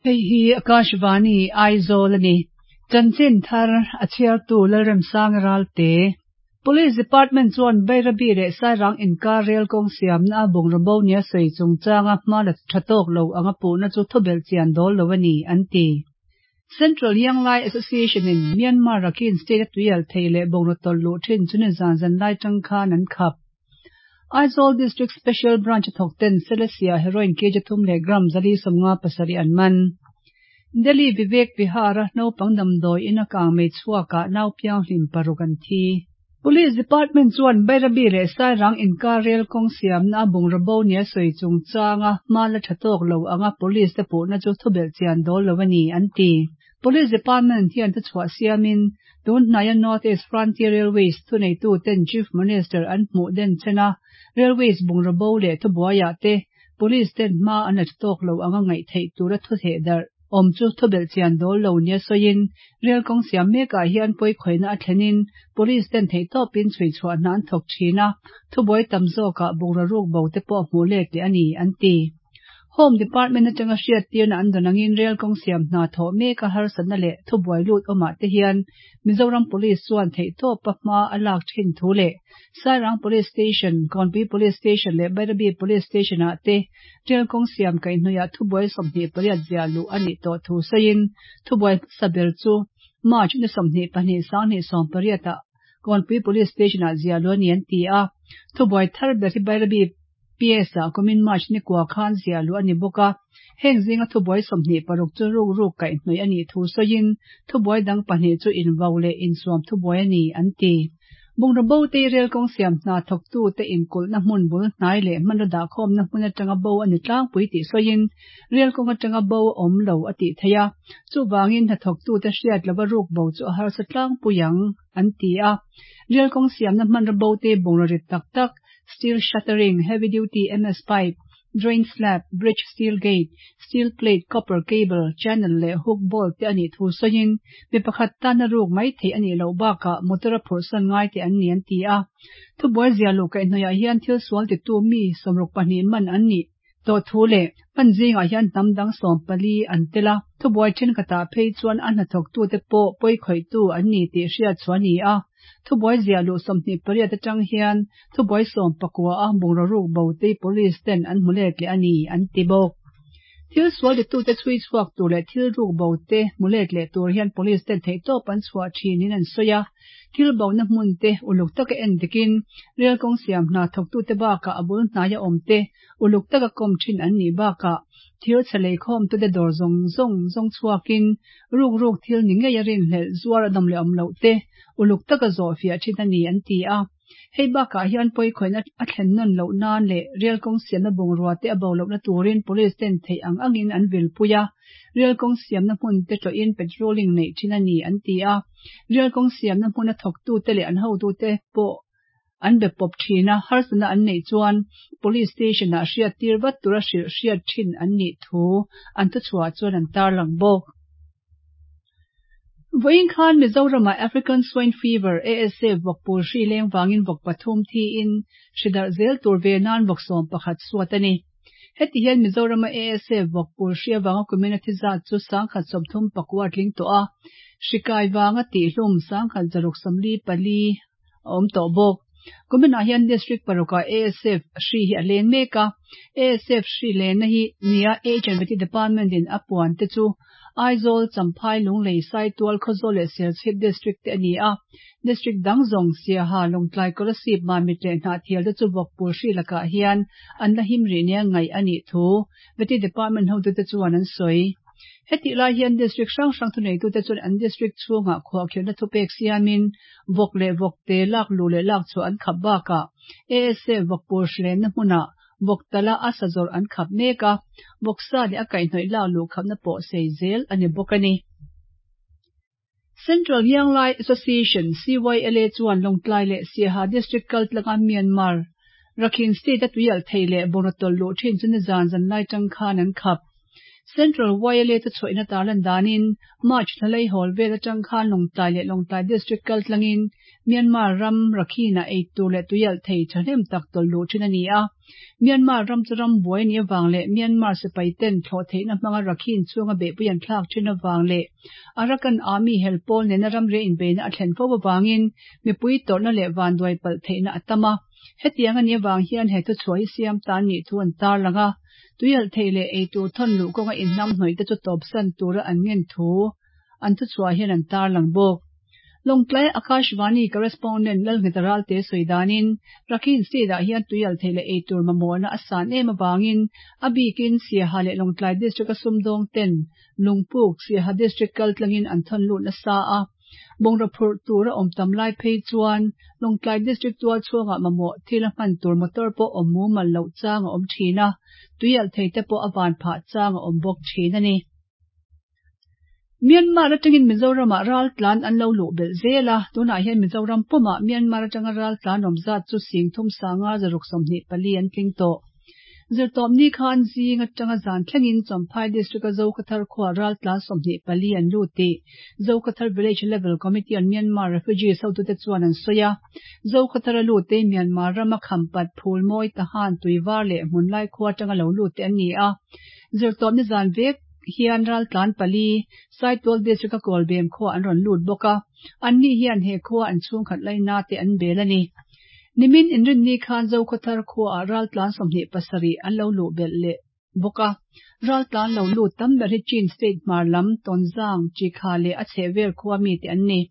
Hei hi Akashvani Aizawl a ni. Chanchin thar a chhiartu Lalremsanga Ralte. Police Department chuan Bairabi leh Sairang inkar rel kawng siamna a bungraw bo nia sawi chungchanga hma la tha tawk lo anga puhna chu thubelh chian dawl lo a ni, an ti. Central Young Lai Association in Myanmar Rakhine State a tuial thei leh bungraw tawlh luh thin chu nizan zanlai tang khan an khap. Aizawl District Special Branch a thawk ten Selesia heroin kg thum leh gram 457 an man. Delhi Vivek Vihar a naupang damdawi in a kang mei chhuakah nau pianghlim paruk an thi. Police Department chuan Bairabi leh Sairang inkar rel kawng siamna a bungraw bo nia sawi chungchanga hma la tha tawk lo anga police te puhna chu thubelh chian dawl lo a ni, an ti. Police Department hian thuchhuah siamin tun hnaia North East Frontier Railways thuneitu ten Chief Minister an hmuh den chen a, Railways bungraw bo leh thubuaiah te Police ten hma an la tha tawk lo anga ngaih theih tura thu theh darh awm chu thubelh chian dawl lo nia sawiin rel kawng siam mekah hian pawikhawihna a thlenin Police ten theihtawpin chhui chhuah hna an thawk thin a, thubuai tam zawkah bungraw ruk bo te pawh hmuh let leh a ni, an ti. Home Department atanga hriattirna an dawn angin rel kawng siam hna thawh meka harsatna leh thubuai lut awmah te hian Mizoram Police chuan theihtawpa hma a lak thin thu leh Sairang Police Station, Kawnpui Police Station leh Bairabi Police Station ah te rel kawng siam kaihhnawih ah thubuai 28 ziah luh a nih tawh thu sawiin thubuai hmasa ber chu March ni 22 2018 ah Kawnpui Police Station ah ziah luh a ni an ti a. Thubuai thar ber hi Bairabi PS ah kumin March ni kua khan ziah luh a ni bawk a, heng zinga thubuai 26 chu ruk ruk kaihhnawih a nih thu sawiin thubuai dang pahnih chu invau leh insuam thubuai a ni, an ti. Bungraw bo te rel kawng siam hna thawktu te inkulhna hmun bul hnai leh hmanraw dahkhawmna hmun atanga bo a ni tlangpui tih sawiin rel kawng atanga bo a awm lo a tih theih a, chuvangin hnathawktu te hriat lova ruk bo chu a harsa tlangpui ang, an ti a. Rel kawng siamna hmanraw bo te bungraw rit tak tak, steel shuttering, heavy duty MS pipe, drain slab, bridge steel gate, steel plate, copper cable, channel leh hook bolt te a nih thu sawiin mi pakhat tana ruk mai theih a nih loh bakah motor a phurhsan ngai te an ni an ti a. Thubuai zia luh kaihhnawihah hian thil sual titu mi 62 man an nih tawh thu leh hman zingah hian hnam dang 14 an tel a, thubuai thenkhatah phei chuan a hnathawktute pawh pawikhawihtu an ni tih hriat chhuah a ni a. Thubuai ziah luh 28 atang hian thubuai 19 a bungraw ruk bo te police ten an hmu let leh a ni, an ti bawk. Thil sual titute chhui chhuak tur leh thil ruk bo te hmu let leh tur hian police ten theihtawp an chhuah thinin an sawi a. Thil bona hmun te uluk taka en dikin rel kawng siam hna thawktute bakah a bul hnaia awm te uluk taka kawm thin an nih bakah thil chhe leikhawmtute dawr zawng zawng zawng chhuakin ruk ruk thil ni ngei a rinhlelh zuar a dawm leh awm loh te uluk taka zawh fiah thin a ni an ti a. Hei bakah hian pawikhawihna a thlen nawn loh nan leh rel kawng siamna bungrua te a bo lohna turin police ten theih ang angin an vilpui a, rel kawng siamna hmun te tlawhin patrolling neih thin a ni an ti a. Rel kawng siamna hmuna thawktute leh an hotute pawh an be pawp thin a, harsatna an neih chuan police station ah hriattir vat tura hrilh hriat thin an nih thu an thuchhuah chuan an tarlang bawk. Vawiin khan Mizoramah African Swine Fever, ASF, vawk pul hri leng vangin vawk pathum thiin hri darh zel tur ve nan vawk 11 suat a ni. Heti hian Mizorama ASF vawk pul hri avanga kumin a thi zat chu 139 tling tawh a, hri kai vanga tihhlum 1644 a awm tawh bawk. Kuminah hian District parukah ASF hri hi a leng mek a, ASF hri lenna hi nia H&Vety Department in a puan te chu Aizawl, Champhai, Lunglei, Saitual, Khawzawl leh Serchhip District te a ni a. District dang zawng Siaha, Lawngtlai, Kolasib, Mamit leh Hnahthial te chu vawkpul hri lakah hian an la him rih nia ngaih a nih thu Vety Department hotute chuan an sawi. Hetih lai hian District hrang hrang thuneitute chuan an District chhungah khuahkhirhna thupek siamin vawk leh vawkte lak luh leh lak chhuah an khap bakah ASF vawkpul hrilenna hmunah vawk tala a sa zawrh an khap mek a, vawksa leh a kaihhnawih lak luh khapna pawh sei zel a ni bawk a ni. Central Young Lai Association, CYLA, chuan Lawngtlai leh Siaha District kaltlanga Myanmar, Rakhine State a tuialh thei leh bungraw tawlh luh thin chu nizan zanlai tang khan an khap. Central YLA thuchhuahina tarlan danin March thla laihawl vel atang khan Lawngtlai leh Lawngtlai District kaltlangin Myanmar ram Rakhine-ah eitur leh tuialh thei thahnem tak tawlh luh thin a ni a. Myanmar ram chu ram buai a nih avang leh Myanmar sipai ten thlawh theihna hmanga Rakhine chhunga beihpui an thlak thin avang leh Arakan Army hel pawl nena ramri inbeihna a thlen fo avangin mipui tawrhna leh vanduai palh theihna a tam a. Hetiang a nih avang hian he thuchhuah hi siam tan nih thu an tarlang a. Tuialh theih leh eitur thawn luh kawnga inhnam hnawih te chu tawpsan tura an ngen thu an thuchhuah hian an tarlang bawk. Lawngtlai Akashvani Correspondent Lalngheta Ralte sawi danin Rakhine State ah hian tuialh theih leh eitur mamawhna a san em avangin a bikin Siaha leh Lawngtlai District a sumdawng ten Lungpuk, Siaha District kaltlangin an thawn lut nasa a. Bungraw phurh tur a awm tam lai phei chuan Lawngtlai District tual chhungah mamawh thil a hman tur motor pawh awm mumal loh chang a awm thin a, tuialh thei te pawh a van phah chang a awm bawk thin a ni. Myanmar atangin Mizoramah raltlan an lo luh belh zel a, tunah hian Mizoram pumah Myanmar atanga raltlan awm zat chu sing thum sanga zaruk 24 an tling tawh. Zirtawpni khan zing atanga zan thlengin Champhai District-a Zokhawthar khuaa raltlan 24 an lut tih Zokhawthar Village Level Committee on Myanmar Refugees hotute chuan an sawi a. Zokhawthara lutte Myanmar rama Khampat, Phulmawi, Tahan, Tuivar leh Hmunlai khua atanga lo lutte an ni a. Zirtawpni zan vek hian raltlan pali Saitual District-a Kawlbem khua an rawn lut bawk a, anni hian he khua an chhungkhat laina te an bel a ni. Nimin inrinni khan Zokhawthar khuaah raltlan 27 an lo luh belh leh bawk a. Raltlan lo lut tam ber hi Chin State hmar lam Tonzang, Chikha leh a chhehvel khua mite an ni.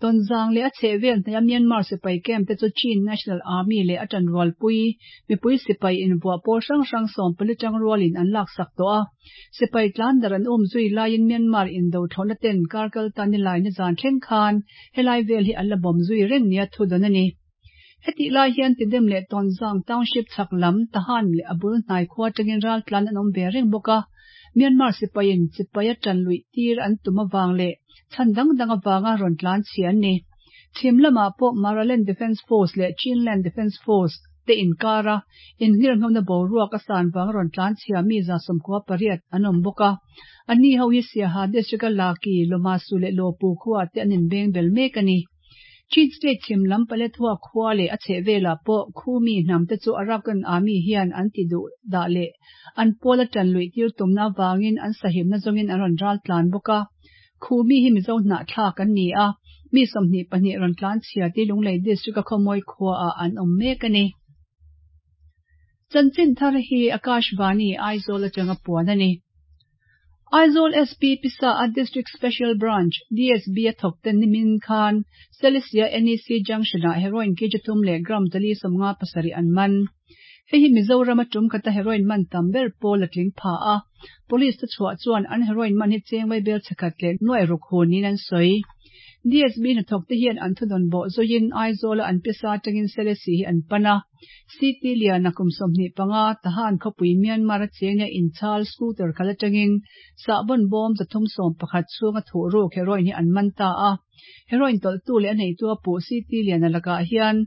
Tonzang leh a chhehvel hnaia Myanmar sipai camp te chu Chin National Army leh a tanrualpui mipui sipai invuah pawl hrang hrang 14 tang rualin an laksak tawh a. Sipai tlan darh an um zui laiin Myanmar indo thlawhna ten kar kal ta nilai nizan thleng khan helai vel hi an la bawm zui reng nia thu dawn a ni. Hetih lai hian Tidem leh Tonzang Township chhak lam Tahan leh a bul hnai khua atangin raltlan an awm ve reng bawk a. Myanmar sipaiin sipai a tan luih tir an tum avang leh chhan dang dang avanga rawn tlan chhia an ni. Chhim lamah pawh Maraland Defence Force leh Chinland Defence Force te inkara innghirnghona boruak a san vanga rawn tlan chhia mi 98 an awm bawk a. Anni ho hi Siaha District-a Laki, Lomasu leh Lopu khua te an inbeng bel mek a ni. Chin State chhim lam Paletwa khua leh a chhehvelah pawh Khumi hnam te chu Arakan Army hian an ti duh dah leh an pawl a tan luih tir tumna avangin an sahimna zawngin an rawn ral tlan bawk a. Khumi hi Mizo hnahthlak an ni a, mi 22 rawn tlan chhia ti Lunglei District-a Khawmawi khuaah an awm mek a ni. Chanchin thar hi Akashvani Aizawl atanga puan a ni. Aizawl SP Pisa a District Special Branch, DSB, a thawk ten nimin khan Selesih NEC Junction-ah heroin kg thum leh gram 457 an man. Hei hi Mizoram a tum khata heroin man tam ber pawl a tling pha a. Police te chhuah chuan an heroin man hi cheng vaibel chhekhat leh nuai ruk hun niin an sawi. DSB hnathawk te hian an thudawn bawh zuiin Aizawl a an pisa atangin Selesih hi an pan a. CT Liana kum 25 Tahan khawpui Myanmar a cheng a inchhal scooter khalh atangin sahbawn bawm 311 chhunga thuh ruk heroin hi an man ta a. Heroin tawlhtu leh a neitu a puh CT Liana lakah hian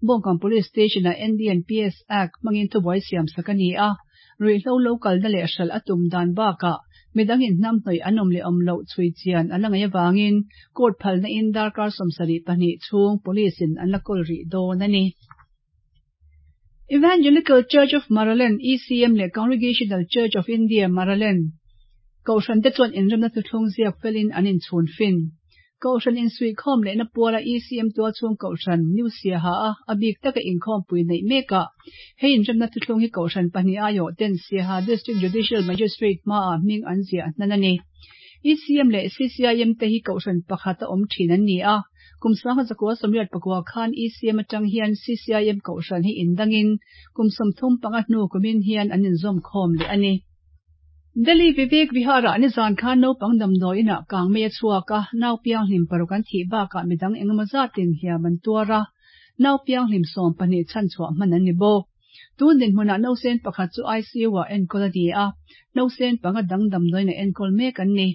Bawngkawn Police Station-ah NDNPS Act hmangin thubuai siam sak a ni a. Ruihhlo lo kalna leh hralh a tum dan bakah midang inhnam hnawih an awm leh awm loh chhui chian a la ngaih avangin court phalna in darkar 72 chhung police in an la kawl rih dawn a ni. Evangelical Church of Maraland, ECM, leh Congregational Church of India, Maraland, Kohhran te chuan inremna thuthlung ziak felin an inchhun fin. Kohhran insuihkhawm lehna puala ECM tualchhung Kohhran, New Siaha a a bik taka inkhawmpui neih mekah hei inremna thuthlung hi Kohhran pahnih aiawh ten Siaha District Judicial Magistrate hmaah hming an ziah hnan a ni. ECM leh CCIM te hi Kohhran pakhat a awm thin an ni a. Kum 1989 khan ECM atang hian CCIM Kohhran hi indangin kum 35 hnu kumin hian an inzawm khawm leh a ni. Delhi Vivek Vihar-ah nizan khan naupang damdawi inah kang mei a chhuak a, nau pianghlim paruk an thih bakah midang engemaw zatin hliam an tuar a, nau pianghlim 12 chhanchhuah hman an ni bawk. Tun dinhmunah nausen pakhat chu ICU-ah enkawl a ni a, nausen panga dang damdawi inah enkawl mek an ni.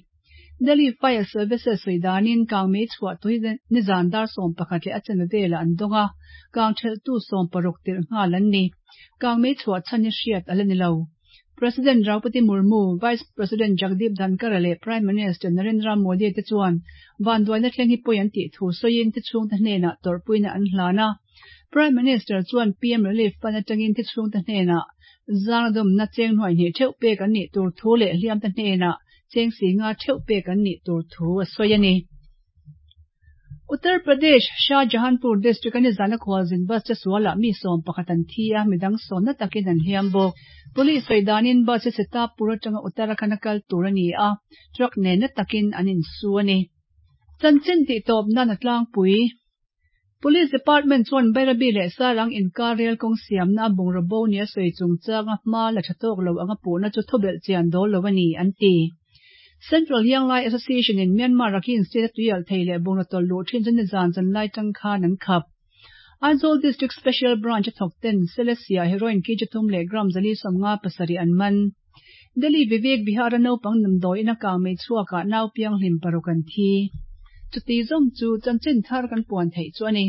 Delhi Fire Services sawi danin kang mei chhuah tui nizan dar 11 leh a chanve velah an dawng a, kang thelhtu 60 tirh nghal an ni. Kang mei chhuah chhan hi hriat a la ni lo. President Draupadi Murmu, Vice President Jagdeep Dhankhar leh Prime Minister Narendra Modi te chuan vanduaina thleng hi pawi an tih thu sawiin thi chhungte hnenah tawrhpuina an hlan a. Prime Minister chuan PM Relief Fund atangin thi chhungte hnenah zangdawmna cheng hnuai hnih theuh pek an nih tur thu leh hliamte hnenah cheng singa theuh pek an nih tur thu a sawi a ni. Uttar Pradesh, Shahjahanpur district a nizana khualzin bus che sualah mi 11 an thi a, midang sawmna takin an hliam bawk. Police sawi danin bus hi Sitapur atanga Uttarakhand a kal tur a ni a, truck nen na takin an insu a ni. Chanchin tihtawp nan a tlangpui. Police Department chuan Bairabi leh Sairang inkar rel kawng siamna a bungraw bo nia sawi chungchanga hma la tha tawk lo anga puhna chu thubelh chian dawl lo a ni, an ti. Central Young Lai Association in Myanmar Rakhine State a tuialh thei leh bungraw tawlh luh thin chu nizan zan lai tang khan an khap. Aizawl District Special Branch a thawk ten Selesia heroin kg thum leh gram 457 an man. Delhi Vivek Vihar a naupang damdawiin a kang mei chhuakah nau pianghlim paruk an thi. Chuti zawng chu chanchin thar kan puan theih chu a ni.